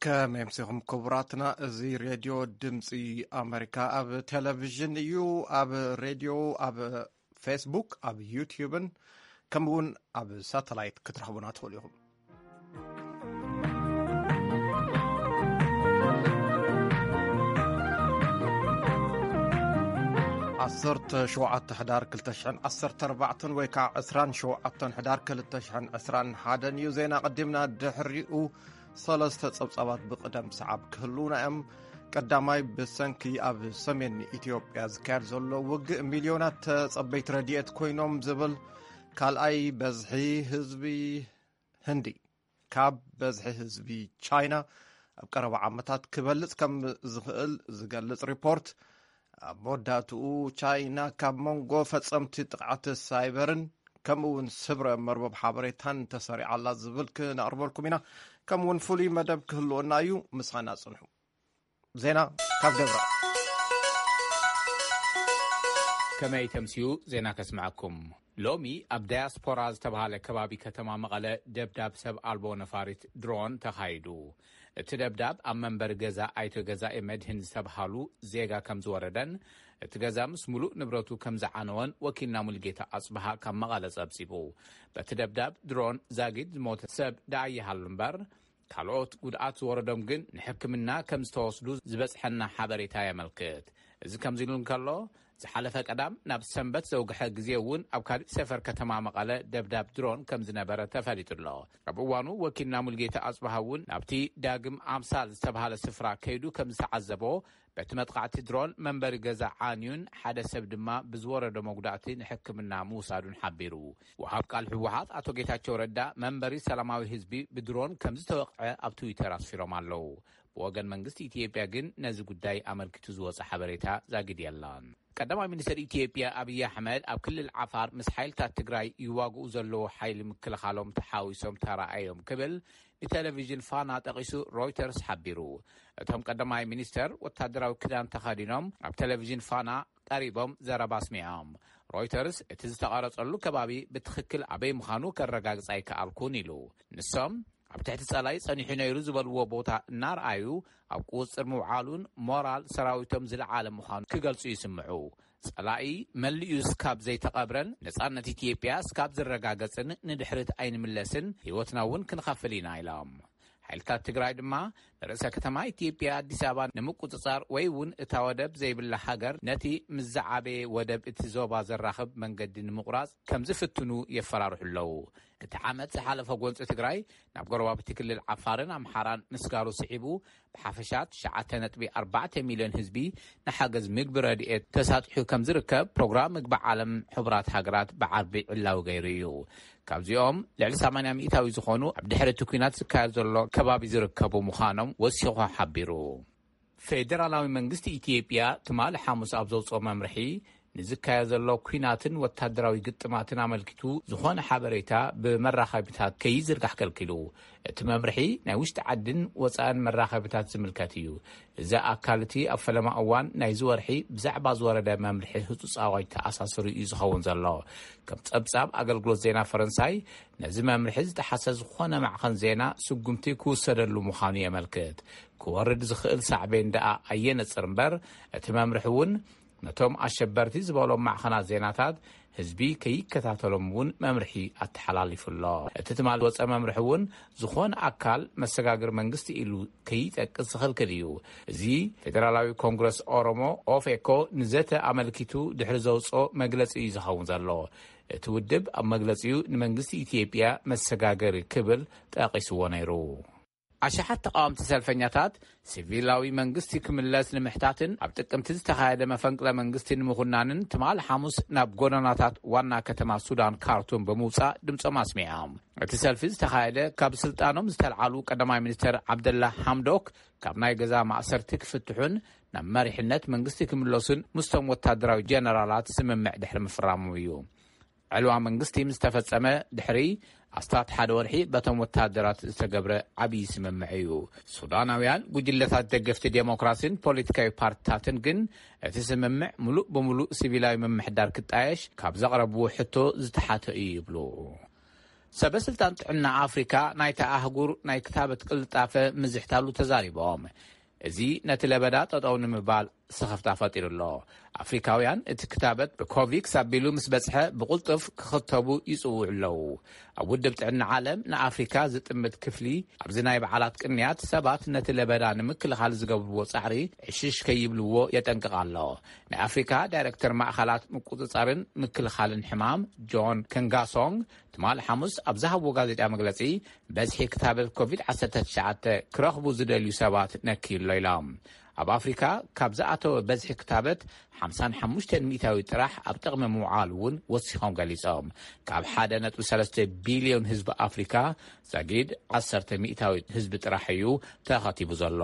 ከመይ ኣምሲኹም ክቡራትና? እዚ ሬድዮ ድምፂ ኣመሪካ ኣብ ቴሌቪዥን እዩ፣ ኣብ ሬድዮ፣ ኣብ ፌስቡክ፣ ኣብ ዩትዩብን ከምኡ እውን ኣብ ሳተላይት ክትረኽቡና ትኽእሉ ኢኹም። ዓሰርተ ሸውዓተ ሕዳር ክልተ ሽሕን ዓሰርተ ኣርባዕተን ወይ ከዓ ዕስራን ሸውዓተን ሕዳር ክልተ ሽሕን ዕስራን ሓደን እዩ። ዜና ቀዲምና ድሕሪኡ ሰለስተ ጸብጻባት ብቕደም ሰዓብ ክህልዉና እዮም። ቀዳማይ፣ ብሰንኪ ኣብ ሰሜን ኢትዮጵያ ዝካየድ ዘሎ ውግእ ሚልዮናት ተጸበይቲ ረድኤት ኮይኖም ዝብል፣ ካልኣይ፣ በዝሒ ህዝቢ ህንዲ ካብ በዝሒ ህዝቢ ቻይና ኣብ ቀረባ ዓመታት ክበልጽ ከም ዝኽእል ዝገልጽ ሪፖርት፣ ኣብ መወዳእትኡ ቻይና ካብ መንጎ ፈጸምቲ ጥቕዓት ሳይበርን ከምኡ እውን ስብረ መርበብ ሓበሬታን ተሰሪዓ ኣላ ዝብል ክነቕርበልኩም ኢና። ከምኡ እውን ፍሉይ መደብ ክህልወና እዩ። ምሳና ጽንሑ። ዜና ካብ ደብረ። ከመይ ተምስዩ ዜና ከስምዐኩም። ሎሚ ኣብ ዳያስፖራ ዝተባሃለ ከባቢ ከተማ መቐለ ደብዳብ ሰብ ኣልቦ ነፋሪት ድሮን ተኻይዱ። እቲ ደብዳብ ኣብ መንበሪ ገዛ ኣይቶ ገዛኢ መድህን ዝተባሃሉ ዜጋ ከም ዝወረደን እቲ ገዛ ምስ ሙሉእ ንብረቱ ከም ዝዓነወን ወኪልና ሙልጌታ ኣጽብሃ ካብ መቐለ ጸብጺቡ። በቲ ደብዳብ ድሮን ዛጊድ ዝሞተ ሰብ ደኣ ይሃሉ እምበር፣ ካልኦት ጉድኣት ዝወረዶም ግን ንሕክምና ከም ዝተወስዱ ዝበጽሐና ሓበሬታ የመልክት። እዚ ከምዚ ኢሉ እንከሎ፣ ዝሓለፈ ቀዳም ናብ ሰንበት ዘውግሐ ግዜ እውን ኣብ ካሊእ ሰፈር ከተማ መቐለ ደብዳብ ድሮን ከም ዝነበረ ተፈሊጡ ኣሎ። ኣብ እዋኑ ወኪልና ሙልጌታ ኣጽብሃ እውን ናብቲ ዳግም ኣምሳል ዝተባሃለ ስፍራ ከይዱ ከም ዝተዓዘቦ፣ በቲ መጥቃዕቲ ድሮን መንበሪ ገዛ ዓንዩን ሓደ ሰብ ድማ ብዝወረዶ መጉዳእቲ ንሕክምና ምውሳዱን ሓቢሩ። ወሃብ ቃል ህወሓት ኣቶ ጌታቸው ረዳ መንበሪ ሰላማዊ ህዝቢ ብድሮን ከም ዝተወቕዐ ኣብ ትዊተር ኣስፊሮም ኣለዉ። ብወገን መንግስቲ ኢትዮጵያ ግን ነዚ ጉዳይ ኣመልኪቱ ዝወጸ ሓበሬታ ዛጊድ የለን። ቀዳማይ ሚኒስትር ኢትዮጵያ ኣብይ ኣሕመድ ኣብ ክልል ዓፋር ምስ ሓይልታት ትግራይ ይዋግኡ ዘለዉ ሓይሊ ምክልኻሎም ተሓዊሶም ተራኣዮም ክብል ንቴሌቪዥን ፋና ጠቒሱ ሮይተርስ ሓቢሩ። እቶም ቀዳማይ ሚኒስተር ወታደራዊ ክዳን ተኸዲኖም ኣብ ቴሌቪዥን ፋና ቀሪቦም ዘረባ ኣስሚዖም። ሮይተርስ እቲ ዝተቐረጸሉ ከባቢ ብትኽክል ኣበይ ምዃኑ ከረጋግጽ ኣይከኣልኩን ኢሉ። ንሶም ኣብ ትሕቲ ጸላኢ ጸኒሑ ነይሩ ዝበልዎ ቦታ እናርኣዩ ኣብ ቁጽጽር ምውዓሉን ሞራል ሰራዊቶም ዝለዓለ ምዃኑ ክገልጹ ይስምዑ። ጸላኢ መሊኡ እስካብ ዘይተቐብረን ነጻነት ኢትዮጵያ እስካብ ዝረጋገጽን ንድሕሪት ኣይንምለስን፣ ህይወትና እውን ክንኸፍል ኢና ኢሎም። ሓይልታት ትግራይ ድማ ንርእሰ ከተማ ኢትዮጵያ ኣዲስ ኣበባ ንምቁጽጻር ወይ እውን እታ ወደብ ዘይብላ ሃገር ነቲ ምስ ዝዓበየ ወደብ እቲ ዞባ ዘራኽብ መንገዲ ንምቑራጽ ከም ዝፍትኑ የፈራርሑ ኣለዉ። እቲ ዓመት ዝሓለፈ ጎንፂ ትግራይ ናብ ጎረባብቲ ክልል ዓፋርን ኣምሓራን ምስጋሩ ስዒቡ ብሓፈሻ ትሽዓተ ነጥቢ ኣርባዕተ ሚልዮን ህዝቢ ንሓገዝ ምግቢ ረድኤት ተሳጢሑ ከም ዝርከብ ፕሮግራም ምግቢ ዓለም ሕቡራት ሃገራት ብዓርቢ ዕላዊ ገይሩ እዩ። ካብዚኦም ልዕሊ ሰማንያ ሚእታዊ ዝኾኑ ኣብ ድሕሪ እቲ ኲናት ዝካየድ ዘሎ ከባቢ ዝርከቡ ምዃኖም ወሲኹ ሓቢሩ። ፌደራላዊ መንግስቲ ኢትዮጵያ ትማሊ ሓሙስ ኣብ ዘውፅኦ መምርሒ ንዝካየድ ዘሎ ኲናትን ወታደራዊ ግጥማትን ኣመልኪቱ ዝኾነ ሓበሬታ ብመራኸቢታት ከይዝርጋሕ ከልኪሉ። እቲ መምርሒ ናይ ውሽጢ ዓድን ወፃእን መራኸቢታት ዝምልከት እዩ። እዚ ኣካል እቲ ኣብ ፈለማ እዋን ናይዚ ወርሒ ብዛዕባ ዝወረደ መምርሒ ህጹጽ ኣዋጅ ተኣሳስሩ እዩ ዝኸውን ዘሎ። ከም ጸብጻብ ኣገልግሎት ዜና ፈረንሳይ፣ ነዚ መምርሒ ዝጠሓሰ ዝኾነ ማዕኸን ዜና ስጉምቲ ክውሰደሉ ምዃኑ የመልክት። ክወርድ ዝኽእል ሳዕቤን ደኣ ኣየነጽር እምበር፣ እቲ መምርሒ እውን ነቶም ኣሸበርቲ ዝበሎም ማዕኸናት ዜናታት ህዝቢ ከይከታተሎም እውን መምርሒ ኣተሓላሊፉ ኣሎ። እቲ ትማሊ ዝወፀ መምርሒ እውን ዝኾነ ኣካል መሰጋግር መንግስቲ ኢሉ ከይጠቅስ ዝኽልክል እዩ። እዚ ፌደራላዊ ኮንግረስ ኦሮሞ፣ ኦፌኮ፣ ንዘተ ኣመልኪቱ ድሕሪ ዘውፅኦ መግለፂ እዩ ዝኸውን ዘሎ። እቲ ውድብ ኣብ መግለፂኡ ንመንግስቲ ኢትዮጵያ መሰጋገሪ ክብል ጠቒስዎ ነይሩ። ኣሽሓት ተቓወምቲ ሰልፈኛታት ሲቪላዊ መንግስቲ ክምለስ ንምሕታትን ኣብ ጥቅምቲ ዝተኻየደ መፈንቅለ መንግስቲ ንምኹናንን ትማል ሓሙስ ናብ ጎደናታት ዋና ከተማ ሱዳን ካርቱም ብምውጻእ ድምጾም ኣስሚዖም። እቲ ሰልፊ ዝተኻየደ ካብ ስልጣኖም ዝተልዓሉ ቀዳማይ ሚኒስተር ዓብደላ ሓምዶክ ካብ ናይ ገዛ ማእሰርቲ ክፍትሑን ናብ መሪሕነት መንግስቲ ክምለሱን ምስቶም ወታደራዊ ጀነራላት ስምምዕ ድሕሪ ምፍራሞም እዩ። ዕልዋ መንግስቲ ምስ ተፈጸመ ድሕሪ ኣስታት ሓደ ወርሒ በቶም ወታደራት ዝተገብረ ዓብዪ ስምምዕ እዩ። ሱዳናውያን ጉጅለታት ደገፍቲ ዴሞክራሲን ፖለቲካዊ ፓርቲታትን ግን እቲ ስምምዕ ምሉእ ብምሉእ ሲቪላዊ ምምሕዳር ክጣየሽ ካብ ዘቕረብዎ ሕቶ ዝተሓተ እዩ ይብሉ። ሰበ ስልጣን ጥዕና ኣፍሪካ ናይታ ኣህጉር ናይ ክታበት ቅልጣፈ ምዝሕታሉ ተዛሪቦም። እዚ ነቲ ለበዳ ጠጠው ንምባል ስኽፍታ ፈጢሩ ኣሎ። ኣፍሪካውያን እቲ ክታበት ብኮቪክስ ኣቢሉ ምስ በጽሐ ብቕልጡፍ ክኽተቡ ይጽውዑ ኣለዉ። ኣብ ውድብ ጥዕና ዓለም ንኣፍሪካ ዝጥምት ክፍሊ ኣብዚ ናይ በዓላት ቅንያት ሰባት ነቲ ለበዳ ንምክልኻል ዝገብርዎ ጻዕሪ ዕሽሽ ከይብልዎ የጠንቅቕ ኣሎ። ናይ ኣፍሪካ ዳይረክተር ማእኸላት ምቁጽጻርን ምክልኻልን ሕማም ጆን ከንጋሶንግ ትማል ሓሙስ ኣብ ዝሃብዎ ጋዜጣ መግለጺ፣ በዝሒ ክታበት ኮቪድ ዓሰርተ ትሽዓተ ክረኽቡ ዝደልዩ ሰባት ነክዩ ኣሎ ኢሎም። ኣብ ኣፍሪካ ካብ ዝኣተወ በዝሒ ክታበት ሓምሳን ሓሙሽተን ሚእታዊ ጥራሕ ኣብ ጥቕሚ ምውዓሉ እውን ወሲኾም ገሊጾም። ካብ ሓደ ነጥቢ ሰለስተ ቢልዮን ህዝቢ ኣፍሪካ ዛጊድ ዓሰርተ ሚእታዊ ህዝቢ ጥራሕ እዩ ተኸቲቡ ዘሎ።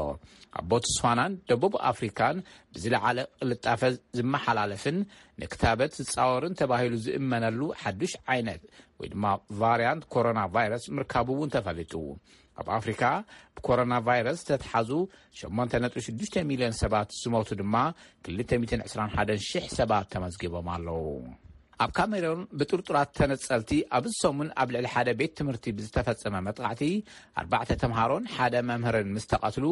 ኣብ ቦትስዋናን ደቡብ ኣፍሪካን ብዝለዓለ ቅልጣፈ ዝመሓላለፍን ንክታበት ዝጻወርን ተባሂሉ ዝእመነሉ ሓዱሽ ዓይነት ወይ ድማ ቫርያንት ኮሮና ቫይረስ ምርካቡ እውን ተፈሊጡ። ኣብ ኣፍሪካ ብኮሮና ቫይረስ ዝተትሓዙ ሸሞንተ ነጥቢ ሽዱሽተ ሚልዮን ሰባት ዝሞቱ ድማ ክልተ ሚእትን ዕስራን ሓደን ሽሕ ሰባት ተመዝጊቦም ኣለዉ። ኣብ ካሜሮን ብጥርጡራት ተነጸልቲ ኣብዚ ሰሙን ኣብ ልዕሊ ሓደ ቤት ትምህርቲ ብዝተፈጸመ መጥቃዕቲ ኣርባዕተ ተምሃሮን ሓደ መምህርን ምስ ተቐትሉ፣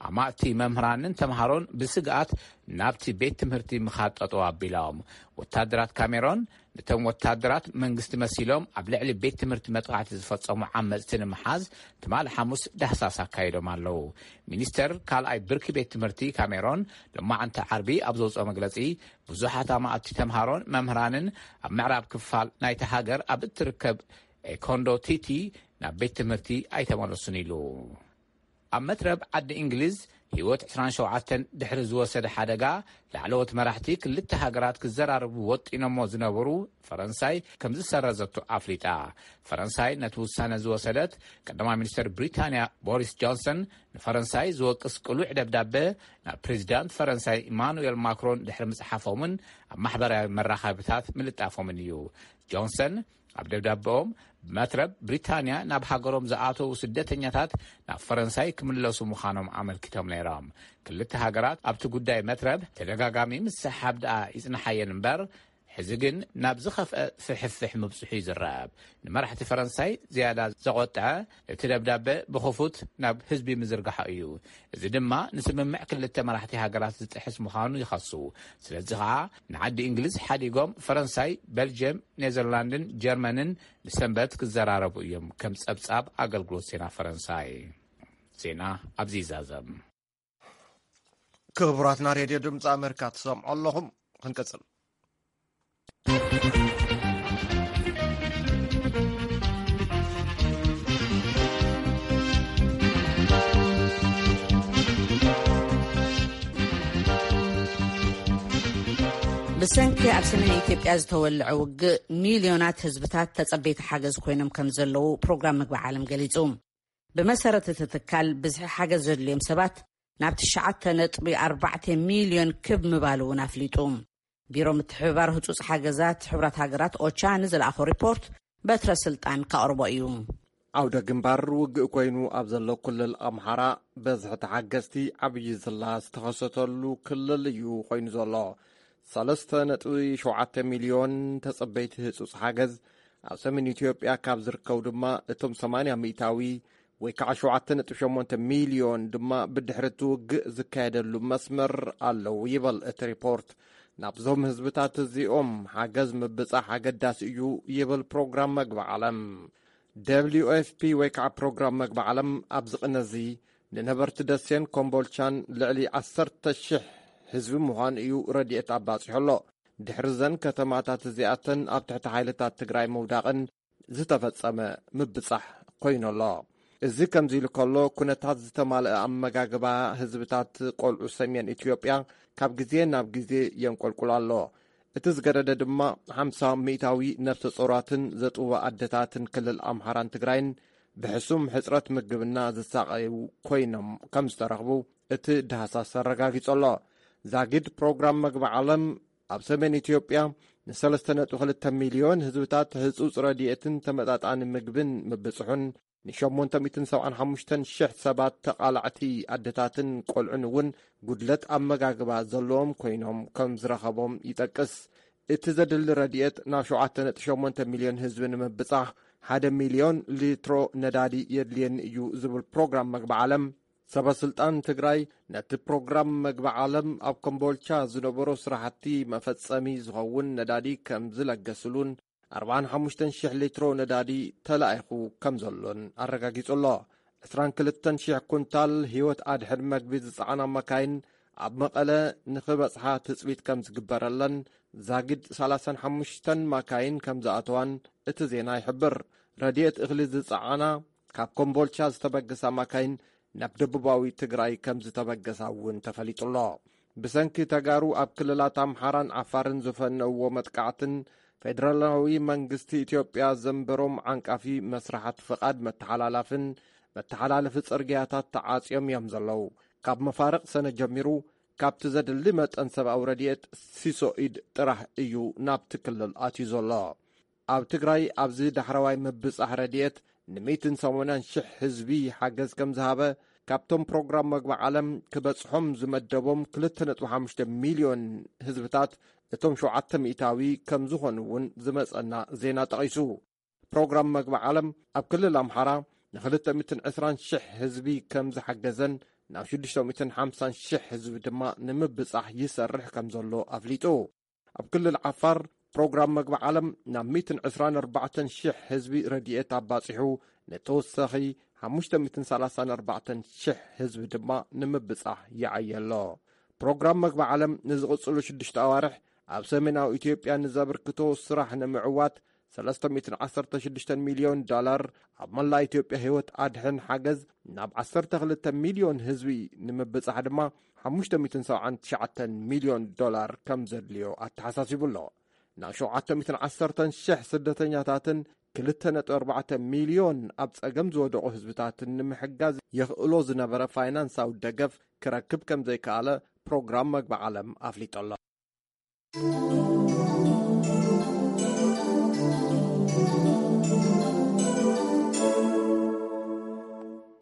ኣማእቲ መምህራንን ተምሃሮን ብስግኣት ናብቲ ቤት ትምህርቲ ምኻድ ጠጠው ኣቢሎም። ወታደራት ካሜሮን ነቶም ወታደራት መንግስቲ መሲሎም ኣብ ልዕሊ ቤት ትምህርቲ መጥቃዕቲ ዝፈጸሙ ዓመጽቲ ንምሓዝ ትማሊ ሓሙስ ዳህሳስ ኣካይዶም ኣለዉ። ሚኒስተር ካልኣይ ብርኪ ቤት ትምህርቲ ካሜሮን ሎማዓንቲ ዓርቢ ኣብ ዘውፅኦ መግለጺ፣ ብዙሓት ኣማእቲ ተምሃሮን መምህራንን ኣብ ምዕራብ ክፋል ናይቲ ሃገር ኣብ እትርከብ ኤኮንዶ ቲቲ ናብ ቤት ትምህርቲ ኣይተመለሱን ኢሉ። ኣብ መትረብ ዓዲ እንግሊዝ ህይወት ዕስራን ሸውዓተን ድሕሪ ዝወሰደ ሓደጋ፣ ላዕለዎት መራሕቲ ክልተ ሃገራት ክዘራረቡ ወጢኖሞ ዝነበሩ ፈረንሳይ ከም ዝሰረዘቶ ኣፍሊጣ። ፈረንሳይ ነቲ ውሳነ ዝወሰደት፣ ቀዳማይ ሚኒስተር ብሪታንያ ቦሪስ ጆንሰን ንፈረንሳይ ዝወቅስ ቅሉዕ ደብዳበ ናብ ፕሬዚዳንት ፈረንሳይ ኢማኑኤል ማክሮን ድሕሪ ምጽሓፎምን ኣብ ማሕበራዊ መራኸብታት ምልጣፎምን እዩ። ጆንሰን ኣብ ደብዳበኦም፣ ብመትረብ ብሪታንያ ናብ ሃገሮም ዝኣተዉ ስደተኛታት ናብ ፈረንሳይ ክምለሱ ምዃኖም ኣመልኪቶም ነይሮም። ክልተ ሃገራት ኣብቲ ጉዳይ መትረብ ተደጋጋሚ ምስሕሓብ ደኣ ይጽንሓየን እምበር፣ ሕዚ ግን ናብ ዝኸፍአ ፍሕፍሕ ምብጽሑ ይዝረብ። ንመራሕቲ ፈረንሳይ ዝያዳ ዘቖጥዐ፣ እቲ ደብዳበ ብኽፉት ናብ ህዝቢ ምዝርጋሑ እዩ። እዚ ድማ ንስምምዕ ክልተ መራሕቲ ሃገራት ዝጥሕስ ምዃኑ ይኸሱ። ስለዚ ኸኣ ንዓዲ እንግሊዝ ሓዲጎም ፈረንሳይ፣ በልጅየም፣ ኔዘርላንድን ጀርመንን ንሰንበት ክዘራረቡ እዮም፣ ከም ጸብጻብ ኣገልግሎት ዜና ፈረንሳይ። ዜና ኣብዚ ይዛዘም። ክቡራትና ሬድዮ ድምፂ ኣሜሪካ ትሰምዑ ኣለኹም። ክንቅፅል። ብሰንኪ ኣብ ሰሜን ኢትዮጵያ ዝተወልዐ ውግእ፣ ሚልዮናት ህዝብታት ተጸበይቲ ሓገዝ ኮይኖም ከም ዘለዉ ፕሮግራም ምግቢ ዓለም ገሊጹ። ብመሰረት እቲ ትካል፣ ብዝሒ ሓገዝ ዘድልዮም ሰባት ናብ ትሽዓተ ነጥቢ ኣርባዕተ ሚልዮን ክብ ምባሉ እውን ኣፍሊጡ። ቢሮ ምትሕብባር ህጹጽ ሓገዛት ሕቡራት ሃገራት፣ ኦቻ፣ ንዝለኣኾ ሪፖርት በትረ ስልጣን ከቕርቦ እዩ። ዓውደ ግንባር ውግእ ኮይኑ ኣብ ዘሎ ክልል ኣምሓራ፣ በዝሒ ተሓገዝቲ ዓብዪ ዝላ ዝተኸሰተሉ ክልል እዩ ኮይኑ ዘሎ። ሰለስተ ነጥቢ ሸውዓተ ሚልዮን ተጸበይቲ ህጹጽ ሓገዝ ኣብ ሰሜን ኢትዮጵያ ካብ ዝርከቡ ድማ፣ እቶም ሰማንያ ሚእታዊ ወይ ከዓ ሸውዓተ ነጥቢ ሸሞንተ ሚልዮን ድማ ብድሕሪ እቲ ውግእ ዝካየደሉ መስመር ኣለዉ ይብል እቲ ሪፖርት። ናብዞም ህዝብታት እዚኦም ሓገዝ ምብጻሕ ኣገዳሲ እዩ ይብል ፕሮግራም መግቢ ዓለም። ደብሊዩ ኤፍ ፒ ወይ ከዓ ፕሮግራም መግቢ ዓለም ኣብዚ ቅነ እዚ ንነበርቲ ደሴን ኮምቦልቻን ልዕሊ ዓሰርተ ሽሕ ህዝቢ ምዃኑ እዩ ረድኤት ኣባጺሑ ኣሎ። ድሕሪ ዘን ከተማታት እዚኣተን ኣብ ትሕቲ ሓይልታት ትግራይ ምውዳቕን ዝተፈጸመ ምብጻሕ ኮይኑ ኣሎ። እዚ ከምዚ ኢሉ ከሎ፣ ኩነታት ዝተማልአ ኣመጋግባ ህዝብታት ቆልዑ ሰሜን ኢትዮጵያ ካብ ግዜ ናብ ግዜ የንቆልቁል ኣሎ። እቲ ዝገደደ ድማ፣ ሓምሳ ሚእታዊ ነፍሰ ጾራትን ዘጥውዋ ኣደታትን ክልል ኣምሓራን ትግራይን ብሕሱም ሕጽረት ምግብና ዝሳቐዩ ኮይኖም ከም ዝተረኽቡ እቲ ዳህሳስ ኣረጋጊጹ ኣሎ። ዛጊድ ፕሮግራም መግቢ ዓለም፣ ኣብ ሰሜን ኢትዮጵያ ንሰለስተ ነጥቢ ክልተ ሚልዮን ህዝብታት ህጹጽ ረድኤትን ተመጣጣኒ ምግብን ምብጽሑን፣ ንሸሞንተ ሚእትን ሰብዓን ሓሙሽተን ሽሕ ሰባት ተቓላዕቲ ኣደታትን ቆልዑን እውን ጉድለት ኣመጋግባ ዘለዎም ኮይኖም ከም ዝረኸቦም ይጠቅስ። እቲ ዘድሊ ረድኤት ናብ ሸውዓተ ነጥቢ ሸሞንተ ሚልዮን ህዝቢ ንምብጻሕ ሓደ ሚልዮን ሊትሮ ነዳዲ የድልየኒ እዩ ዝብል ፕሮግራም መግቢ ዓለም፣ ሰበ ስልጣን ትግራይ ነቲ ፕሮግራም መግቢ ዓለም ኣብ ኮምቦልቻ ዝነበሩ ስራሕቲ መፈጸሚ ዝኸውን ነዳዲ ከም ዝለገስሉን ኣርባዓን ሓሙሽተን ሽሕ ሊትሮ ነዳዲ ተላኢኹ ከም ዘሎን ኣረጋጊጹ ኣሎ። ዕስራን ክልተን ሽሕ ኩንታል ህይወት ኣድሕን መግቢ ዝጸዓና መካይን ኣብ መቐለ ንኽበጽሓ ትጽቢት ከም ዝግበረለን፣ ዛጊድ ሰላሳን ሓሙሽተን መካይን ከም ዝኣተዋን እቲ ዜና ይሕብር። ረድኤት እኽሊ ዝጸዓና ካብ ኮምቦልቻ ዝተበገሳ መካይን ናብ ደቡባዊ ትግራይ ከም ዝተበገሳ እውን ተፈሊጡ ኣሎ። ብሰንኪ ተጋሩ ኣብ ክልላት ኣምሓራን ዓፋርን ዝፈነውዎ መጥቃዕትን ፌደራላዊ መንግስቲ ኢትዮጵያ ዘንበሮም ዓንቃፊ መስራሓት ፍቓድ መተሓላላፍን መተሓላለፊ ጽርግያታት ተዓጽዮም እዮም ዘለዉ። ካብ መፋርቕ ሰነ ጀሚሩ ካብቲ ዘድሊ መጠን ሰብኣዊ ረድኤት ሲሶ ኢድ ጥራሕ እዩ ናብቲ ክልል ኣትዩ ዘሎ። ኣብ ትግራይ ኣብዚ ዳሕረዋይ ምብጻሕ ረድኤት ንሚእትን ሰማንያን ሽሕ ህዝቢ ሓገዝ ከም ዝሃበ፣ ካብቶም ፕሮግራም መግቢ ዓለም ክበጽሖም ዝመደቦም ክልተ ነጥቢ ሓሙሽተ ሚልዮን ህዝብታት እቶም ሸውዓተ ሚእታዊ ከም ዝኾኑ እውን ዝመጸና ዜና ጠቒሱ። ፕሮግራም መግቢ ዓለም ኣብ ክልል ኣምሓራ ንክልተ ሚእትን ዕስራን ሽሕ ህዝቢ ከም ዝሓገዘን ናብ ሽዱሽተ ሚእትን ሓምሳን ሽሕ ህዝቢ ድማ ንምብጻሕ ይሰርሕ ከም ዘሎ ኣፍሊጡ። ኣብ ክልል ዓፋር ፕሮግራም መግቢ ዓለም ናብ ሚእትን ዕስራን ኣርባዕተን ሽሕ ህዝቢ ረድኤት ኣባጺሑ፣ ንተወሳኺ ሓሙሽተ ሚእትን ሰላሳን ኣርባዕተን ሽሕ ህዝቢ ድማ ንምብጻሕ ይዓየ ኣሎ። ፕሮግራም መግቢ ዓለም ንዝቕጽሉ ሽዱሽተ ኣዋርሕ ኣብ ሰሜናዊ ኢትዮጵያ ንዘበርክቶ ስራሕ ንምዕዋት ሰለስተ ሚእትን ዓሰርተ ሽዱሽተ ሚልዮን ዶላር፣ ኣብ መላእ ኢትዮጵያ ህይወት ኣድሕን ሓገዝ ናብ ዓሰርተ ክልተ ሚልዮን ህዝቢ ንምብጻሕ ድማ ሓሙሽተ ሚእትን ሰብዓን ትሽዓተን ሚልዮን ዶላር ከም ዘድልዮ ኣተሓሳሲቡ ኣሎ። ናብ ሸውዓተ ሚእትን ዓሰርተን ሽሕ ስደተኛታትን ክልተ ነጥቢ ኣርባዕተ ሚልዮን ኣብ ጸገም ዝወደቑ ህዝብታትን ንምሕጋዝ የኽእሎ ዝነበረ ፋይናንሳዊ ደገፍ ክረክብ ከም ዘይከኣለ ፕሮግራም መግቢ ዓለም ኣፍሊጡ ኣሎ።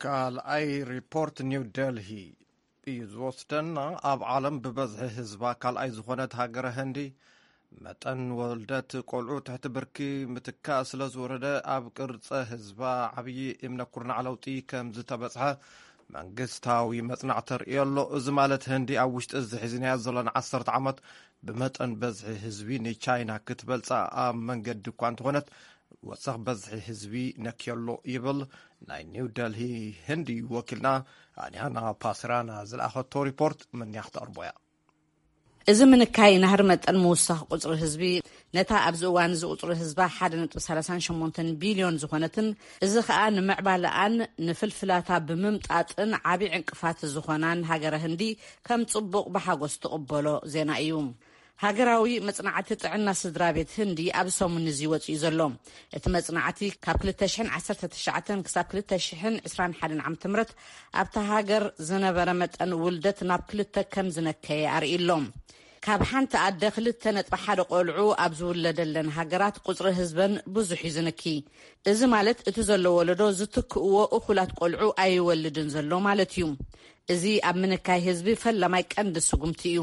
ካልኣይ ሪፖርት ኒው ደልሂ እዩ ዝወስደና። ኣብ ዓለም ብበዝሒ ህዝባ ካልኣይ ዝኾነት ሃገረ ህንዲ፣ መጠን ወልደት ቆልዑ ትሕቲ ብርኪ ምትካእ ስለ ዝወረደ፣ ኣብ ቅርጸ ህዝባ ዓብዪ እምነ ኩርናዕ ለውጢ ከም ዝተበጽሐ መንግስታዊ መጽናዕቲ ተርእዮ ኣሎ። እዚ ማለት ህንዲ ኣብ ውሽጢ እዚ ሒዝናዮ ዘለና ዓሰርተ ዓመት ብመጠን በዝሒ ህዝቢ ንቻይና ክትበልጻ ኣብ መንገዲ እኳ እንተኾነት፣ ወሰኽ በዝሒ ህዝቢ ነክዮ ኣሎ ይብል ናይ ኒው ደልሂ ህንዲ ወኪልና ኣንያና ፓስራና ዝለኣኸቶ ሪፖርት። ምንያ ክተቕርቦ እያ። እዚ ምንካይ ናህሪ መጠን ምውሳኽ ቁጽሪ ህዝቢ፣ ነታ ኣብዚ እዋን እዚ ቁጽሪ ህዝባ ሓደ ነጥቢ ሰላሳን ሸሞንተን ቢልዮን ዝኾነትን፣ እዚ ኸኣ ንምዕባለኣን ንፍልፍላታ ብምምጣጥን ዓቢ ዕንቅፋት ዝኾናን ሃገረ ህንዲ ከም ጽቡቕ ብሓጎስ ትቕበሎ ዜና እዩ። ሃገራዊ መጽናዕቲ ጥዕና ስድራ ቤት ህንዲ ኣብ ሰሙን እዚ ወጺኡ ዘሎ። እቲ መጽናዕቲ ካብ ክልተ ሽሕን ዓሰርተ ትሽዓተን ክሳብ ክልተ ሽሕን ዕስራን ሓደን ዓመተ ምህረት ኣብታ ሃገር ዝነበረ መጠን ውልደት ናብ ክልተ ከም ዝነከየ ኣርእዩ ኣሎ። ካብ ሓንቲ ኣደ ክልተ ነጥቢ ሓደ ቆልዑ ኣብ ዝውለደለን ሃገራት ቁጽሪ ህዝበን ብዙሕ እዩ ዝንኪ። እዚ ማለት እቲ ዘሎ ወለዶ ዝትክእዎ እኹላት ቆልዑ ኣይወልድን ዘሎ ማለት እዩ። እዚ ኣብ ምንካይ ህዝቢ ፈላማይ ቀንዲ ስጉምቲ እዩ።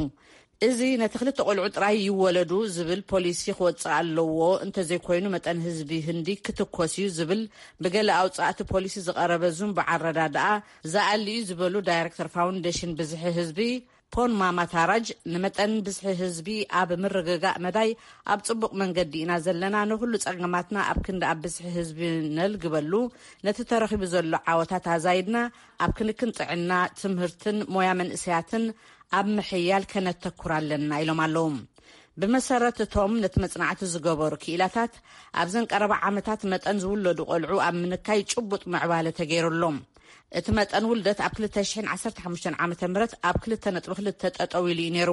እዚ ነቲ ክልተ ቆልዑ ጥራይ ይወለዱ ዝብል ፖሊሲ ክወጽእ ኣለዎ፣ እንተዘይኮይኑ መጠን ህዝቢ ህንዲ ክትኮስ እዩ ዝብል ብገለ ኣውጻእቲ ፖሊሲ ዝቐረበ ዝንቡዕ ኣረዳድኣ ዝኣሊ እዩ ዝበሉ ዳይሬክተር ፋውንዴሽን ብዝሒ ህዝቢ ፖን ማማታራጅ፣ ንመጠን ብዝሒ ህዝቢ ኣብ ምርግጋእ መዳይ ኣብ ጽቡቕ መንገዲ ኢና ዘለና፣ ንኹሉ ጸገማትና ኣብ ክንዲ ኣብ ብዝሒ ህዝቢ ነልግበሉ፣ ነቲ ተረኺቡ ዘሎ ዓወታት ኣዛይድና ኣብ ክንክን ጥዕና፣ ትምህርትን ሞያ መንእሰያትን ኣብ ምሕያል ከነተኩር ኣለና ኢሎም ኣለዉ። ብመሰረት እቶም ነቲ መጽናዕቲ ዝገበሩ ክኢላታት፣ ኣብዘን ቀረባ ዓመታት መጠን ዝውለዱ ቆልዑ ኣብ ምንካይ ጭቡጥ ምዕባለ ተገይሩ ኣሎ። እቲ መጠን ውልደት ኣብ ክልተ ሽሕን ዓሰርተ ሓሙሽተን ዓመተ ምህረት ኣብ ክልተ ነጥቢ ክልተ ጠጠው ኢሉ እዩ ነይሩ።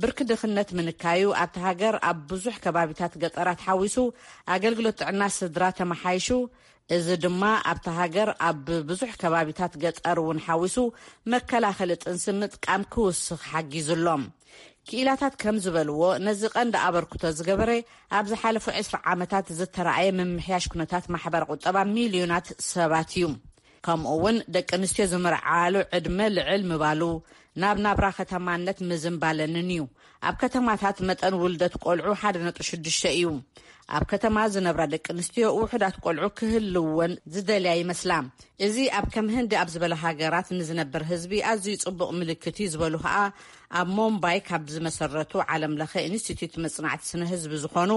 ብርኪ ድኽነት ምንካዩ ኣብቲ ሃገር ኣብ ብዙሕ ከባቢታት ገጠራት ሓዊሱ ኣገልግሎት ጥዕና ስድራ ተመሓይሹ፣ እዚ ድማ ኣብቲ ሃገር ኣብ ብዙሕ ከባቢታት ገጠር እውን ሓዊሱ መከላኸሊ ጥንሲ ምጥቃም ክውስኽ ሓጊዙ ኣሎ። ክኢላታት ከም ዝበልዎ፣ ነዚ ቀንዲ ኣበርክቶ ዝገበረ ኣብ ዝሓለፉ ዕስራ ዓመታት ዝተረኣየ ምምሕያሽ ኩነታት ማሕበረ ቁጠባ ሚልዮናት ሰባት እዩ። ከምኡ እውን ደቂ ኣንስትዮ ዝምርዓሉ ዕድመ ልዕል ምባሉ፣ ናብ ናብራ ከተማነት ምዝንባለንን እዩ። ኣብ ከተማታት መጠን ውልደት ቆልዑ ሓደ ነጥቢ ሽዱሽተ እዩ። ኣብ ከተማ ዝነብራ ደቂ ኣንስትዮ ውሑዳት ቆልዑ ክህልወን ዝደልያ ይመስላ። እዚ ኣብ ከም ህንዲ ኣብ ዝበለ ሃገራት ንዝነብር ህዝቢ ኣዝዩ ጽቡቕ ምልክት እዩ ዝበሉ ከኣ ኣብ ሞምባይ ካብ ዝመሰረቱ ዓለም ለኸ ኢንስቲትዩት መጽናዕቲ ስነ ህዝቢ ዝኾኑ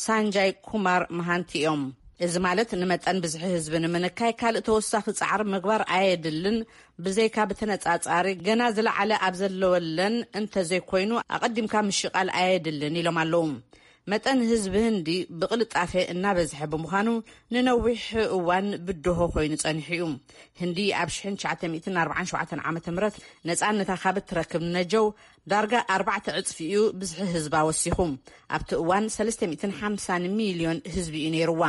ሳንጃይ ኩማር መሃንቲ እዮም። እዚ ማለት ንመጠን ብዝሒ ህዝቢ ንምንካይ ካልእ ተወሳኺ ጻዕሪ ምግባር ኣየድልን፣ ብዘይካ ብተነጻጻሪ ገና ዝለዓለ ኣብ ዘለወለን እንተዘይኮይኑ ኣቐዲምካ ምሽቓል ኣየድልን ኢሎም ኣለዉ። መጠን ህዝቢ ህንዲ ብቕልጣፈ እናበዝሐ ብምዃኑ ንነዊሕ እዋን ብድሆ ኮይኑ ጸኒሑ እዩ። ህንዲ ኣብ ሽሕን ትሽዓተ ሚእትን ኣርባዓን ሸውዓተን ዓመተ ምህረት ነጻነታ ካብ እትረክብ ነጀው ዳርጋ ኣርባዕተ ዕጽፊ እዩ ብዝሒ ህዝባ ወሲኹ። ኣብቲ እዋን ሰለስተ ሚእትን ሓምሳን ሚልዮን ህዝቢ እዩ ነይርዋ።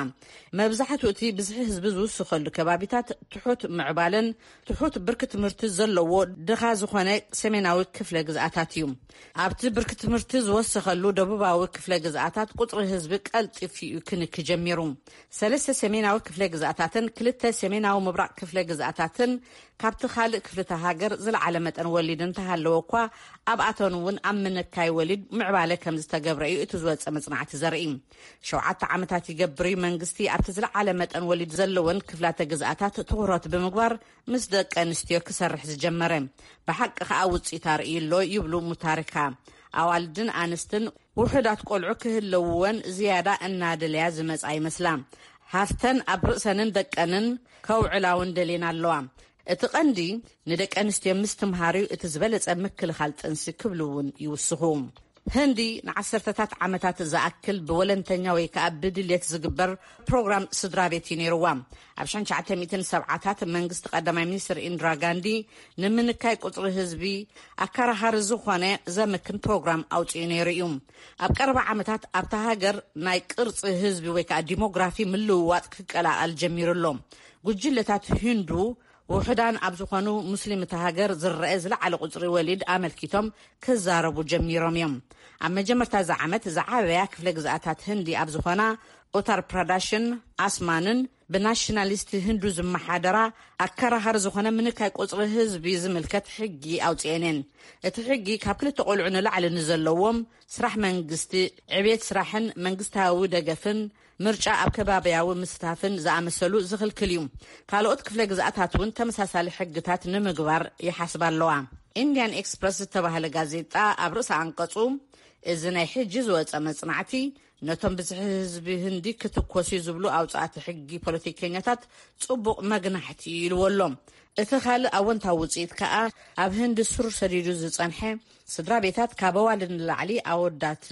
መብዛሕትኡ እቲ ብዝሒ ህዝቢ ዝውስኸሉ ከባቢታት ትሑት ምዕባለን ትሑት ብርኪ ትምህርቲ ዘለዎ ድኻ ዝኾነ ሰሜናዊ ክፍለ ግዝኣታት እዩ። ኣብቲ ብርኪ ትምህርቲ ዝወሰኸሉ ደቡባዊ ክፍለ ግዝኣታት ቁጽሪ ህዝቢ ቀልጢፉ እዩ ክንኪ ጀሚሩ። ሰለስተ ሰሜናዊ ክፍለ ግዝኣታትን ክልተ ሰሜናዊ ምብራቕ ክፍለ ግዝኣታትን ካብቲ ካልእ ክፍልተ ሃገር ዝለዓለ መጠን ወሊድ እንተሃለወ እኳ፣ ኣብኣተን እውን ኣብ ምንካይ ወሊድ ምዕባለ ከም ዝተገብረ እዩ እቲ ዝወጸ መጽናዕቲ ዘርኢ። ሸውዓተ ዓመታት ይገብር እዩ መንግስቲ ኣብቲ ዝለዓለ መጠን ወሊድ ዘለወን ክፍላተ ግዝኣታት ትኹረት ብምግባር ምስ ደቂ ኣንስትዮ ክሰርሕ ዝጀመረ። ብሓቂ ከኣ ውጽኢት ኣርእዩ ኣሎ ይብሉ ሙታሪካ። ኣዋልድን ኣንስትን ውሑዳት ቆልዑ ክህለውወን ዝያዳ እናደለያ ዝመጻ ይመስላ። ሃፍተን ኣብ ርእሰንን ደቀንን ከውዕላ እውን ደልየን ኣለዋ። እቲ ቀንዲ ንደቂ ኣንስትዮ ምስትምሃር እዩ እቲ ዝበለጸ ምክልኻል ጥንሲ ክብሉ እውን ይውስኹ። ህንዲ ንዓሰርተታት ዓመታት ዝኣክል ብወለንተኛ ወይ ከኣ ብድልየት ዝግበር ፕሮግራም ስድራ ቤት እዩ ነይርዋ። ኣብ ሽሕን ትሽዓተ ሚእትን ሰብዓታት መንግስቲ ቀዳማይ ሚኒስትር ኢንድራ ጋንዲ ንምንካይ ቁጽሪ ህዝቢ ኣከራኻሪ ዝኾነ ዘምክን ፕሮግራም ኣውጺኡ ነይሩ እዩ። ኣብ ቀረባ ዓመታት ኣብታ ሃገር ናይ ቅርጺ ህዝቢ ወይ ከኣ ዲሞግራፊ ምልውዋጥ ክቀላቐል ጀሚሩ ኣሎ። ጉጅለታት ሂንዱ ውሑዳን ኣብ ዝኾኑ ሙስሊም እታ ሃገር ዝረአ ዝለዓለ ቁጽሪ ወሊድ ኣመልኪቶም ክዛረቡ ጀሚሮም እዮም። ኣብ መጀመርታ እዚ ዓመት ዝዓበያ ክፍለ ግዝኣታት ህንዲ ኣብ ዝኾና ኡታር ፕራዳሽን ኣስማንን ብናሽናሊስት ህንዱ ዝመሓደራ ኣከራኻሪ ዝኾነ ምንካይ ቁጽሪ ህዝቢ ዝምልከት ሕጊ ኣውጽኤን እየን። እቲ ሕጊ ካብ ክልተ ቆልዑ ንላዕሊ ንዘለዎም ስራሕ መንግስቲ፣ ዕቤት ስራሕን መንግስታዊ ደገፍን ምርጫ ኣብ ከባቢያዊ ምስታፍን ዝኣመሰሉ ዝኽልክል እዩ። ካልኦት ክፍለ ግዝኣታት እውን ተመሳሳሊ ሕግታት ንምግባር ይሓስባ ኣለዋ። ኢንዲያን ኤክስፕረስ ዝተባህለ ጋዜጣ ኣብ ርእሲ ኣንቀጹ፣ እዚ ናይ ሕጂ ዝወጸ መጽናዕቲ ነቶም ብዝሒ ህዝቢ ህንዲ ክትኮስ እዩ ዝብሉ ኣውጻእቲ ሕጊ ፖለቲከኛታት ጽቡቕ መግናሕቲ እዩ ኢልዎ ኣሎ። እቲ ካልእ ኣወንታዊ ውጽኢት ከኣ ኣብ ህንዲ ሱር ሰዲዱ ዝጸንሐ ስድራ ቤታት ካብ ኣዋልድ ንላዕሊ ኣወዳት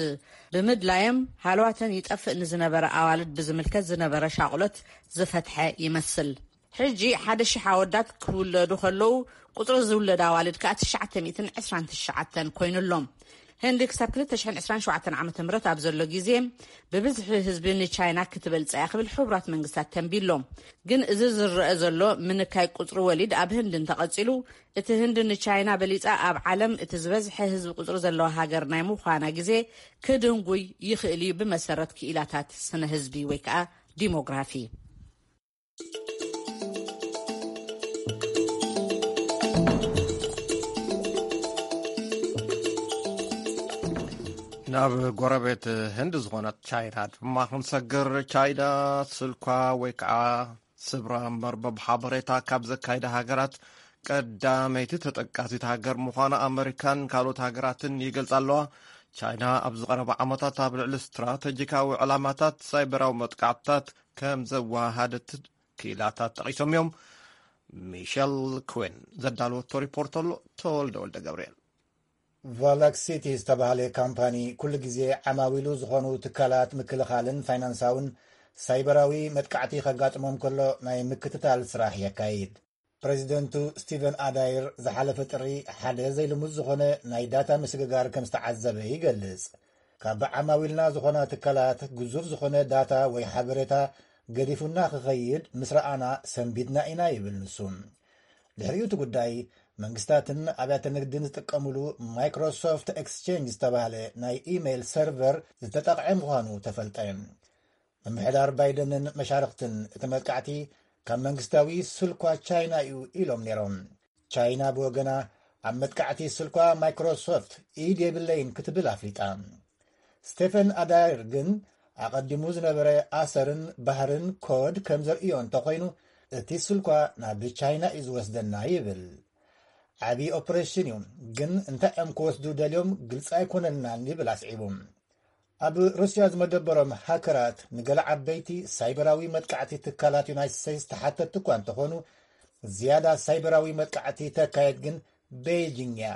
ብምድላዮም ሃለዋተን ይጠፍእ ንዝነበረ ኣዋልድ ብዝምልከት ዝነበረ ሻቕሎት ዝፈትሐ ይመስል። ሕጂ ሓደ ሽሕ ኣወዳት ክውለዱ ከለዉ ቁጽሪ ዝውለድ ኣዋልድ ከኣ ትሽዓተ ሚእትን ዕስራን ትሽዓተን ኮይኑ ኣሎ። ህንዲ ክሳብ ክልተ ሽሕን ዕስራን ሸውዓተን ዓመተ ምህረት ኣብ ዘሎ ግዜ ብብዝሒ ህዝቢ ንቻይና ክትበልጻ እያ ክብል ሕቡራት መንግስታት ተንቢሎ። ግን እዚ ዝረአ ዘሎ ምንካይ ቁጽሪ ወሊድ ኣብ ህንዲ እንተቐጺሉ፣ እቲ ህንዲ ንቻይና በሊጻ ኣብ ዓለም እቲ ዝበዝሐ ህዝቢ ቁጽሪ ዘለዋ ሃገር ናይ ምዃና ግዜ ክድንጉይ ይኽእል እዩ፣ ብመሰረት ክኢላታት ስነ ህዝቢ ወይ ከኣ ዲሞግራፊ። ናብ ጎረቤት ህንዲ ዝኾነት ቻይና ድማ ክንሰግር። ቻይና ስልኳ ወይ ከዓ ስብራ መርበብ ሓበሬታ ካብ ዘካይዳ ሃገራት ቀዳመይቲ ተጠቃሲት ሃገር ምዃና ኣመሪካን ካልኦት ሃገራትን ይገልጻ ኣለዋ። ቻይና ኣብዚ ቀረባ ዓመታት ኣብ ልዕሊ ስትራተጂካዊ ዕላማታት ሳይበራዊ መጥቃዕትታት ከም ዘወሃሃደት ክኢላታት ጠቒሶም እዮም። ሚሸል ኩዌን ዘዳለወቶ ሪፖርት ኣሎ። ተወልደ ወልደ ገብርኤል። ቫላክሲቲ ዝተባህለ ካምፓኒ ኩሉ ግዜ ዓማዊሉ ዝኾኑ ትካላት ምክልኻልን ፋይናንሳውን ሳይበራዊ መጥቃዕቲ ከጋጥሞም ከሎ ናይ ምክትታል ስራሕ የካይድ። ፕሬዚደንቱ ስቲቨን ኣዳይር ዝሓለፈ ጥሪ ሓደ ዘይልሙድ ዝኾነ ናይ ዳታ ምስግጋር ከም ዝተዓዘበ ይገልጽ። ካብ ዓማዊልና ዝኾና ትካላት ግዙፍ ዝኾነ ዳታ ወይ ሓበሬታ ገዲፉና ክኸይድ ምስ ረኣና ሰንቢድና ኢና ይብል ንሱ። ድሕሪኡ እቲ ጉዳይ መንግስታትን ኣብያተ ንግድን ዝጥቀምሉ ማይክሮሶፍት ኤክስቼንጅ ዝተባህለ ናይ ኢሜይል ሰርቨር ዝተጠቕዐ ምዃኑ ተፈልጠ። ምምሕዳር ባይደንን መሻርኽትን እቲ መጥቃዕቲ ካብ መንግስታዊ ስልኳ ቻይና እዩ ኢሎም ነይሮም። ቻይና ብወገና ኣብ መጥቃዕቲ ስልኳ ማይክሮሶፍት ኢድ የብለይን ክትብል ኣፍሊጣ። ስቴፈን ኣዳይር ግን ኣቐዲሙ ዝነበረ ኣሰርን ባህርን ኮድ ከም ዘርእዮ እንተኾይኑ እቲ ስልኳ ናብ ቻይና እዩ ዝወስደና ይብል። ዓብዪ ኦፕሬሽን እዩ፣ ግን እንታይ እዮም ክወስዱ ደልዮም ግልፂ ኣይኮነልናን ይብል ኣስዒቡ። ኣብ ሩስያ ዝመደበሮም ሃከራት ንገለ ዓበይቲ ሳይበራዊ መጥቃዕቲ ትካላት ዩናይትድ ስቴትስ ተሓተትቲ እኳ እንተኾኑ፣ ዝያዳ ሳይበራዊ መጥቃዕቲ ተካየድ ግን ቤይጂንግ እያ።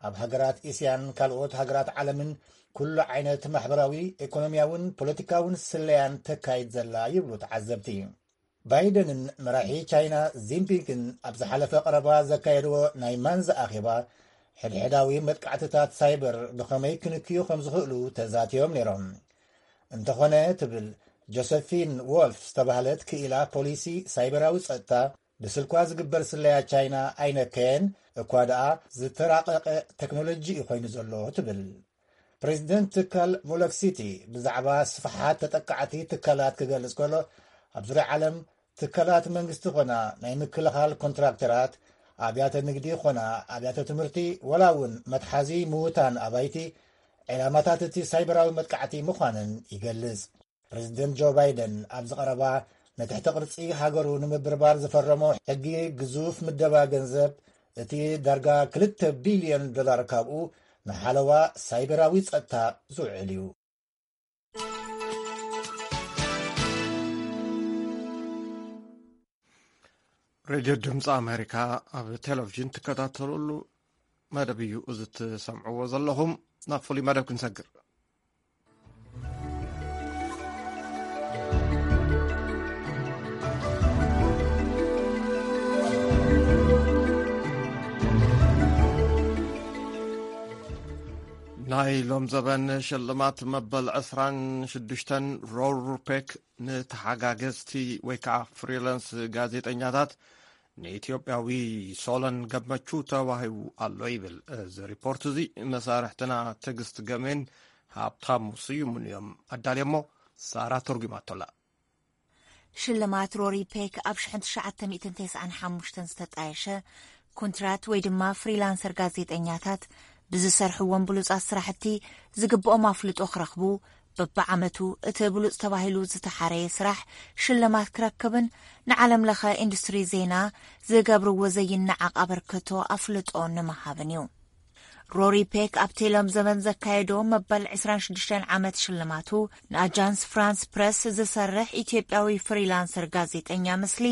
ኣብ ሃገራት እስያን ካልኦት ሃገራት ዓለምን ኩሉ ዓይነት ማሕበራዊ፣ ኢኮኖሚያውን ፖለቲካውን ስለያን ተካይድ ዘላ ይብሉ ተዓዘብቲ። ባይደንን መራሒ ቻይና ዚንፒንግን ኣብ ዝሓለፈ ቀረባ ዘካየድዎ ናይ ማንዛ ኣኼባ ሕድሕዳዊ መጥቃዕትታት ሳይበር ብኸመይ ክንክዩ ከም ዝኽእሉ ተዛትዮም ነይሮም። እንተኾነ ትብል ጆሰፊን ዎልፍ ዝተባህለት ክኢላ ፖሊሲ ሳይበራዊ ጸጥታ፣ ብስልኳ ዝግበር ስለያ ቻይና ኣይነከየን፣ እኳ ደኣ ዝተራቐቐ ቴክኖሎጂ እዩ ኮይኑ ዘሎ ትብል። ፕሬዚደንት ትካል ቮሎክሲቲ ብዛዕባ ስፍሓት ተጠቃዕቲ ትካላት ክገልጽ ከሎ፣ ኣብ ዙርያ ዓለም ትካላት መንግስቲ ኾና ናይ ምክልኻል ኮንትራክተራት፣ ኣብያተ ንግዲ ኾና ኣብያተ ትምህርቲ፣ ወላ እውን መትሓዚ ምዉታን ኣባይቲ ዕላማታት እቲ ሳይበራዊ መጥቃዕቲ ምዃነን ይገልጽ። ፕሬዚደንት ጆ ባይደን ኣብዚ ቀረባ ንትሕቲ ቅርጺ ሃገሩ ንምብርባር ዝፈረሞ ሕጊ ግዙፍ ምደባ ገንዘብ፣ እቲ ዳርጋ ክልተ ቢልዮን ዶላር ካብኡ ንሓለዋ ሳይበራዊ ጸጥታ ዝውዕል እዩ። ሬድዮ ድምፂ ኣሜሪካ ኣብ ቴሌቪዥን ትከታተልሉ መደብ እዩ እዚ ትሰምዕዎ ዘለኹም። ናብ ፍሉይ መደብ ክንሰግር። ናይ ሎም ዘበን ሽልማት መበል ዕስራን ሽዱሽተን ሮር ሩፔክ ንተሓጋገዝቲ ወይ ከዓ ፍሪላንስ ጋዜጠኛታት ንኢትዮጵያዊ ሶለን ገመቹ ተዋሂቡ ኣሎ ይብል። እዚ ሪፖርት እዚ መሳርሕትና ትዕግስት ገሜን ሃብታሙ ስዩምን እዮም ኣዳልዮሞ። ሳራ ተርጉማቶላ። ሽልማት ሮሪ ፔክ ኣብ ሽሕን ትሽዓተ ሚእትን ተስዓን ሓሙሽተን ዝተጣየሸ ኮንትራት ወይ ድማ ፍሪላንሰር ጋዜጠኛታት ብዝሰርሕዎም ብሉጻት ስራሕቲ ዝግብኦም ኣፍልጦ ክረኽቡ በብዓመቱ እቲ ብሉጽ ተባሂሉ ዝተሓረየ ስራሕ ሽልማት ክረክብን ንዓለም ለኸ ኢንዱስትሪ ዜና ዝገብርዎ ዘይነዓቕ ኣበርክቶ ኣፍልጦ ንምሃብን እዩ። ሮሪ ፔክ ኣብቲ ሎም ዘበን ዘካየዶ መበል ዕስራን ሽዱሽተን ዓመት ሽልማቱ ንኣጃንስ ፍራንስ ፕረስ ዝሰርሕ ኢትዮጵያዊ ፍሪላንሰር ጋዜጠኛ ምስሊ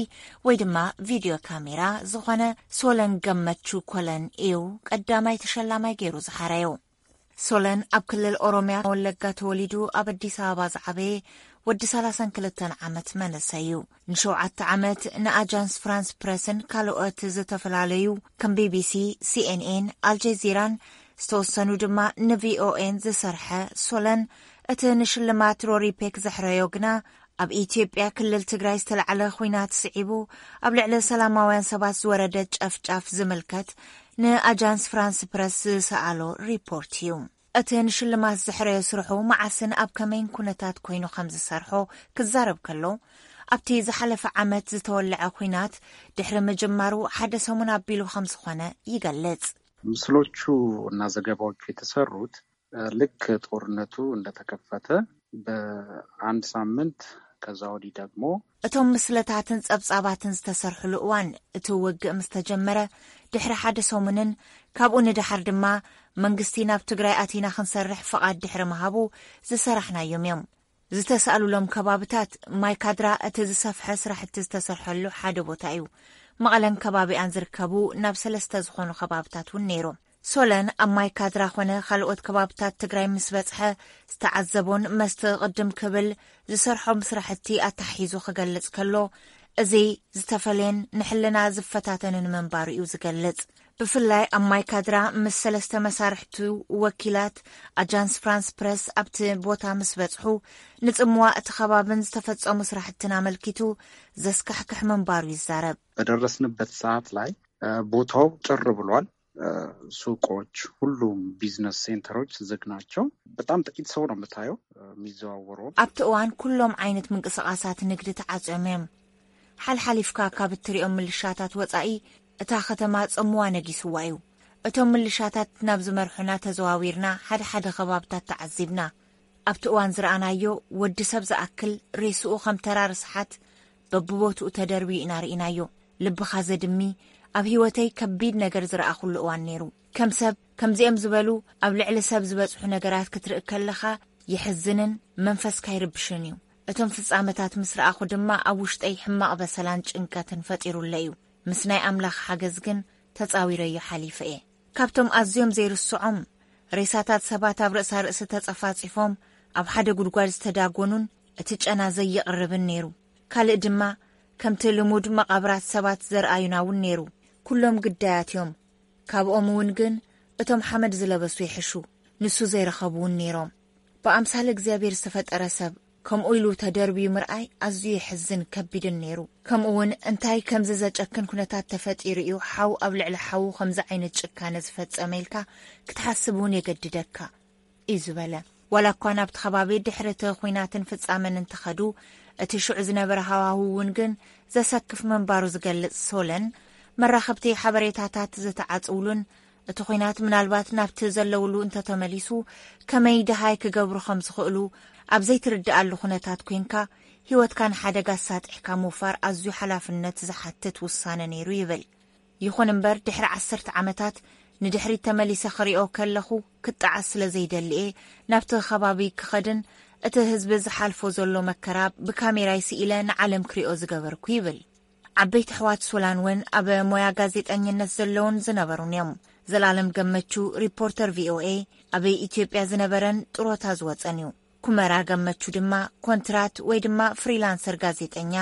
ወይ ድማ ቪድዮ ካሜራ ዝኾነ ሶለን ገመቹ ኮለን እዩ ቀዳማይ ተሸላማይ ገይሩ ዝሓረዮ። ሶለን ኣብ ክልል ኦሮሚያ ወለጋ ተወሊዱ ኣብ ኣዲስ ኣበባ ዝዓበየ ወዲ ሰላሳን ክልተን ዓመት መንእሰይ እዩ። ንሸውዓተ ዓመት ንኣጃንስ ፍራንስ ፕረስን ካልኦት ዝተፈላለዩ ከም ቢቢሲ፣ ሲኤንኤን፣ ኣልጀዚራን ዝተወሰኑ ድማ ንቪኦኤን ዝሰርሐ ሶለን፣ እቲ ንሽልማት ሮሪ ፔክ ዘሕረዮ ግና ኣብ ኢትዮጵያ ክልል ትግራይ ዝተላዕለ ኹናት ስዒቡ ኣብ ልዕሊ ሰላማውያን ሰባት ዝወረደ ጨፍጫፍ ዝምልከት ንኣጃንስ ፍራንስ ፕረስ ዝሰኣሎ ሪፖርት እዩ። እቲ ንሽልማት ዘሕረዮ ስርሑ መዓስን ኣብ ከመይን ኩነታት ኮይኑ ከም ዝሰርሖ ክዛረብ ከሎ፣ ኣብቲ ዝሓለፈ ዓመት ዝተወለዐ ኹናት ድሕሪ ምጅማሩ ሓደ ሰሙን ኣቢሉ ከም ዝኾነ ይገልጽ። ምስሎቹ እና ዘገባዎቹ የተሰሩት ልክ ጦርነቱ እንደተከፈተ በአንድ ሳምንት፣ ከዛ ወዲህ ደግሞ እቶም ምስለታትን ጸብጻባትን ዝተሰርሕሉ እዋን እቲ ውግእ ምስ ተጀመረ ድሕሪ ሓደ ሰሙንን ካብኡ ንደሓር ድማ መንግስቲ ናብ ትግራይ ኣቲና ክንሰርሕ ፍቓድ ድሕሪ ምሃቡ ዝሰራሕናዮም እዮም። ዝተሳእሉሎም ከባብታት ማይ ካድራ እቲ ዝሰፍሐ ስራሕቲ ዝተሰርሐሉ ሓደ ቦታ እዩ። መቐለን ከባቢኣን ዝርከቡ ናብ ሰለስተ ዝኾኑ ከባብታት እውን ነይሩ። ሶለን ኣብ ማይ ካድራ ኾነ ካልኦት ከባብታት ትግራይ ምስ በጽሐ ዝተዓዘቦን መስቲ ቅድም ክብል ዝሰርሖም ስራሕቲ ኣታሒዙ ክገልጽ ከሎ፣ እዚ ዝተፈለየን ንሕልና ዝፈታተንን ምንባሩ እዩ ዝገልጽ። ብፍላይ ኣብ ማይ ካድራ ምስ ሰለስተ መሳርሕቱ ወኪላት ኣጃንስ ፍራንስ ፕረስ ኣብቲ ቦታ ምስ በጽሑ፣ ንጽምዋ እቲ ከባብን ዝተፈጸሙ ስራሕትን ኣመልኪቱ ዘስካሕክሕ ምንባሩ ይዛረብ። በደረስንበት ሰዓት ላይ ቦታው ጭር ብሏል። ሱቆች፣ ሁሉም ቢዝነስ ሴንተሮች ዝግ ናቸው። በጣም ጥቂት ሰው ነው የምታየው የሚዘዋወረው። ኣብቲ እዋን ኩሎም ዓይነት ምንቅስቃሳት ንግዲ ተዓጽዮም እዮም። ሓልሓሊፍካ ካብ እትሪኦም ምልሻታት ወጻኢ፣ እታ ከተማ ጸምዋ ነጊስዋ እዩ። እቶም ምልሻታት ናብ ዝመርሑና ተዘዋዊርና ሓደ ሓደ ከባብታት ተዓዚብና። ኣብቲ እዋን ዝረኣናዮ፣ ወዲ ሰብ ዝኣክል ሬስኡ ከም ተራ ርስሓት በብቦትኡ ተደርብዩ ኢና ርኢናዮ። ልብኻ ዘድሚ፣ ኣብ ህይወተይ ከቢድ ነገር ዝረኣኹሉ እዋን ነይሩ። ከም ሰብ፣ ከምዚኦም ዝበሉ ኣብ ልዕሊ ሰብ ዝበጽሑ ነገራት ክትርኢ ከለኻ የሕዝንን መንፈስካ ይርብሽን እዩ። እቶም ፍጻመታት ምስ ረኣኹ ድማ ኣብ ውሽጠይ ሕማቕ በሰላን ጭንቀትን ፈጢሩለይ እዩ። ምስ ናይ ኣምላኽ ሓገዝ ግን ተጻዊረዮ ሓሊፈ እየ። ካብቶም ኣዝዮም ዘይርስዖም፣ ሬሳታት ሰባት ኣብ ርእሳ ርእሲ ተጸፋጺፎም ኣብ ሓደ ጉድጓድ ዝተዳጎኑን እቲ ጨና ዘይቕርብን ነይሩ። ካልእ ድማ ከምቲ ልሙድ መቓብራት ሰባት ዘርኣዩና እውን ነይሩ። ኩሎም ግዳያት እዮም። ካብኦም እውን ግን እቶም ሓመድ ዝለበሱ ይሕሹ። ንሱ ዘይረኸቡ እውን ነይሮም። ብኣምሳል እግዚኣብሔር ዝተፈጠረ ሰብ ከምኡ ኢሉ ተደርብዩ ምርኣይ ኣዝዩ የሕዝን ከቢድን ነይሩ። ከምኡ እውን እንታይ ከምዚ ዘጨክን ኩነታት ተፈጢሩ እዩ ሓው ኣብ ልዕሊ ሓው ከምዚ ዓይነት ጭካነ ዝፈጸመ ኢልካ ክትሓስብ እውን የገድደካ እዩ ዝበለ። ዋላ እኳ ናብቲ ከባቢ ድሕሪ እቲ ኹናትን ፍጻመን እንተኸዱ፣ እቲ ሽዑ ዝነበረ ሃዋህው እውን ግን ዘሰክፍ ምንባሩ ዝገልጽ ሶለን፣ መራኸብቲ ሓበሬታታት ዝተዓጽውሉን እቲ ኹናት ምናልባት ናብቲ ዘለውሉ እንተተመሊሱ ከመይ ደሃይ ክገብሩ ከም ዝኽእሉ ኣብ ዘይትርድኣሉ ኩነታት ኮይንካ ህይወትካ ንሓደጋ ኣሳጢሕካ ምውፋር ኣዝዩ ሓላፍነት ዝሓትት ውሳነ ነይሩ ይብል። ይኹን እምበር ድሕሪ ዓሰርተ ዓመታት ንድሕሪት ተመሊሰ ክሪኦ ከለኹ ክጠዓስ ስለ ዘይደሊ እየ ናብቲ ከባቢ ክኸድን እቲ ህዝቢ ዝሓልፎ ዘሎ መከራ ብካሜራይ ስኢለ ንዓለም ክሪኦ ዝገበርኩ ይብል። ዓበይቲ ኣሕዋት ሶላን እውን ኣብ ሞያ ጋዜጠኝነት ዘለውን ዝነበሩን እዮም። ዘላለም ገመቹ ሪፖርተር ቪኦኤ ኣብ ኢትዮጵያ ዝነበረን ጥሮታ ዝወጸን እዩ። ኩመራ ገመቹ ድማ ኮንትራት ወይ ድማ ፍሪላንሰር ጋዜጠኛ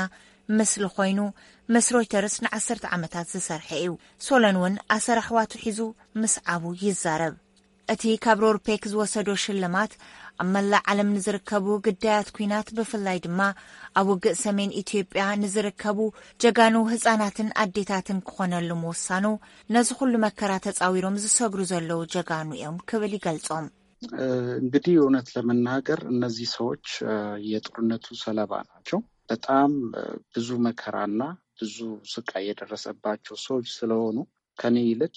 ምስሊ ኮይኑ ምስ ሮይተርስ ንዓሰርተ ዓመታት ዝሰርሐ እዩ። ሶለን እውን ኣሰር ኣሕዋቱ ሒዙ ምስ ዓቡ ይዛረብ። እቲ ካብ ሮርፔክ ዝወሰዶ ሽልማት ኣብ መላእ ዓለም ንዝርከቡ ግዳያት ኲናት ብፍላይ ድማ ኣብ ውግእ ሰሜን ኢትዮጵያ ንዝርከቡ ጀጋኑ ህጻናትን ኣዴታትን ክኾነሉ ምውሳኑ ነዚ ኩሉ መከራ ተጻዊሮም ዝሰግሩ ዘለዉ ጀጋኑ እዮም ክብል ይገልጾም። እንግዲህ እውነት ለመናገር እነዚህ ሰዎች የጦርነቱ ሰለባ ናቸው። በጣም ብዙ መከራና ብዙ ስቃይ የደረሰባቸው ሰዎች ስለሆኑ ከኔ ይልቅ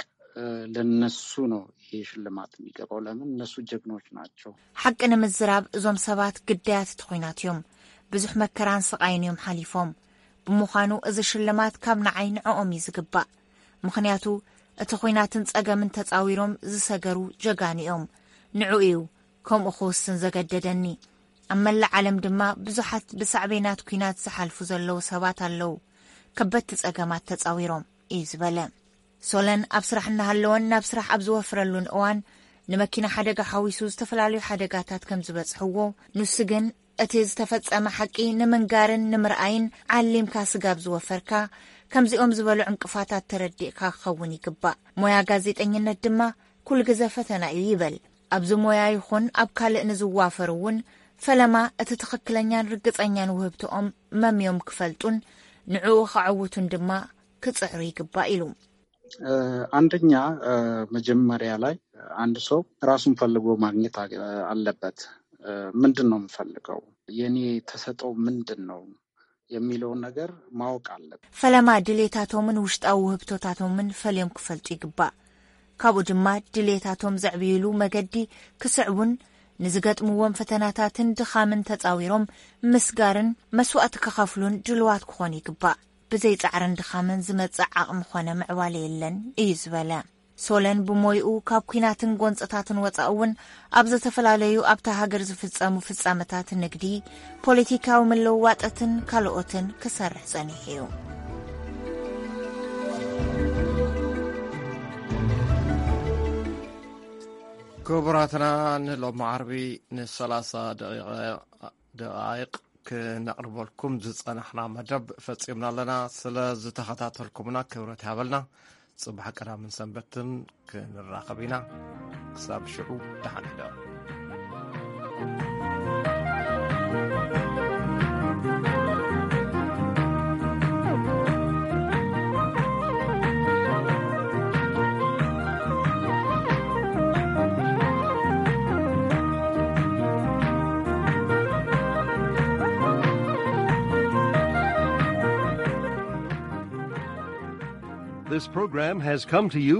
ለነሱ ነው ይሄ ሽልማት የሚገባው። ለምን እነሱ ጀግኖች ናቸው። ሓቂ ንምዝራብ እዞም ሰባት ግዳያት እቲ ኹናት እዮም። ብዙሕ መከራን ስቓይን እዮም ሓሊፎም። ብምዃኑ እዚ ሽልማት ካብ ንዓይ ንዕኦም እዩ ዝግባእ። ምኽንያቱ እቲ ኹናትን ጸገምን ተጻዊሮም ዝሰገሩ ጀጋኑ እዮም። ንዑ እዩ ከምኡ ክውስን ዘገደደኒ። ኣብ መላእ ዓለም ድማ ብዙሓት ብሳዕቤናት ኲናት ዝሓልፉ ዘለዉ ሰባት ኣለዉ። ከበድቲ ጸገማት ተጻዊሮም እዩ ዝበለ። ሶለን ኣብ ስራሕ እናሃለወን ናብ ስራሕ ኣብ ዝወፍረሉን እዋን ንመኪና ሓደጋ ሓዊሱ ዝተፈላለዩ ሓደጋታት ከም ዝበጽሕዎ፣ ንሱ ግን እቲ ዝተፈጸመ ሓቂ ንምንጋርን ንምርኣይን ዓሊምካ ስጋብ ዝወፈርካ ከምዚኦም ዝበሉ ዕንቅፋታት ተረዲእካ ክኸውን ይግባእ። ሞያ ጋዜጠኝነት ድማ ኩሉ ግዘ ፈተና እዩ ይበል። ኣብዚ ሞያ ይኹን ኣብ ካልእ ንዝዋፈሩ እውን ፈለማ እቲ ትኽክለኛን ርግጸኛን ውህብትኦም መምዮም ክፈልጡን ንዕኡ ከዐውቱን ድማ ክጽዕሩ ይግባእ ኢሉ። አንደኛ መጀመሪያ ላይ አንድ ሰው ራሱን ፈልጎ ማግኘት አለበት። ምንድን ነው የምፈልገው? የኔ ተሰጠው ምንድን ነው የሚለውን ነገር ማወቅ አለበት። ፈለማ ድሌታቶምን ውሽጣዊ ውህብቶታቶምን ፈልዮም ክፈልጡ ይግባእ። ካብኡ ድማ ድሌታቶም ዘዕብይሉ መገዲ ክስዕቡን ንዝገጥምዎም ፈተናታትን ድኻምን ተጻዊሮም ምስጋርን መስዋእቲ ክኸፍሉን ድልዋት ክኾኑ ይግባእ። ብዘይ ጻዕርን ድኻምን ዝመጽእ ዓቕሚ ኾነ ምዕባለ የለን እዩ ዝበለ። ሶለን ብሞይኡ ካብ ኲናትን ጎንጽታትን ወጻኢ እውን ኣብ ዝተፈላለዩ ኣብታ ሃገር ዝፍጸሙ ፍጻመታት ንግዲ፣ ፖለቲካዊ ምልውዋጠትን ካልኦትን ክሰርሕ ጸኒሑ እዩ። ክቡራትና ንሎሚ ዓርቢ ን30 ደቂቕ ክነቕርበልኩም ዝጸናሕና መደብ ፈጺምና ኣለና። ስለ ዝተኸታተልኩምና ክብረት ይሃበልና። ጽባሕ ቀዳምን ሰንበትን ክንራኸብ ኢና። ክሳብ ሽዑ ደሓን ሕደሩ። This program has come to you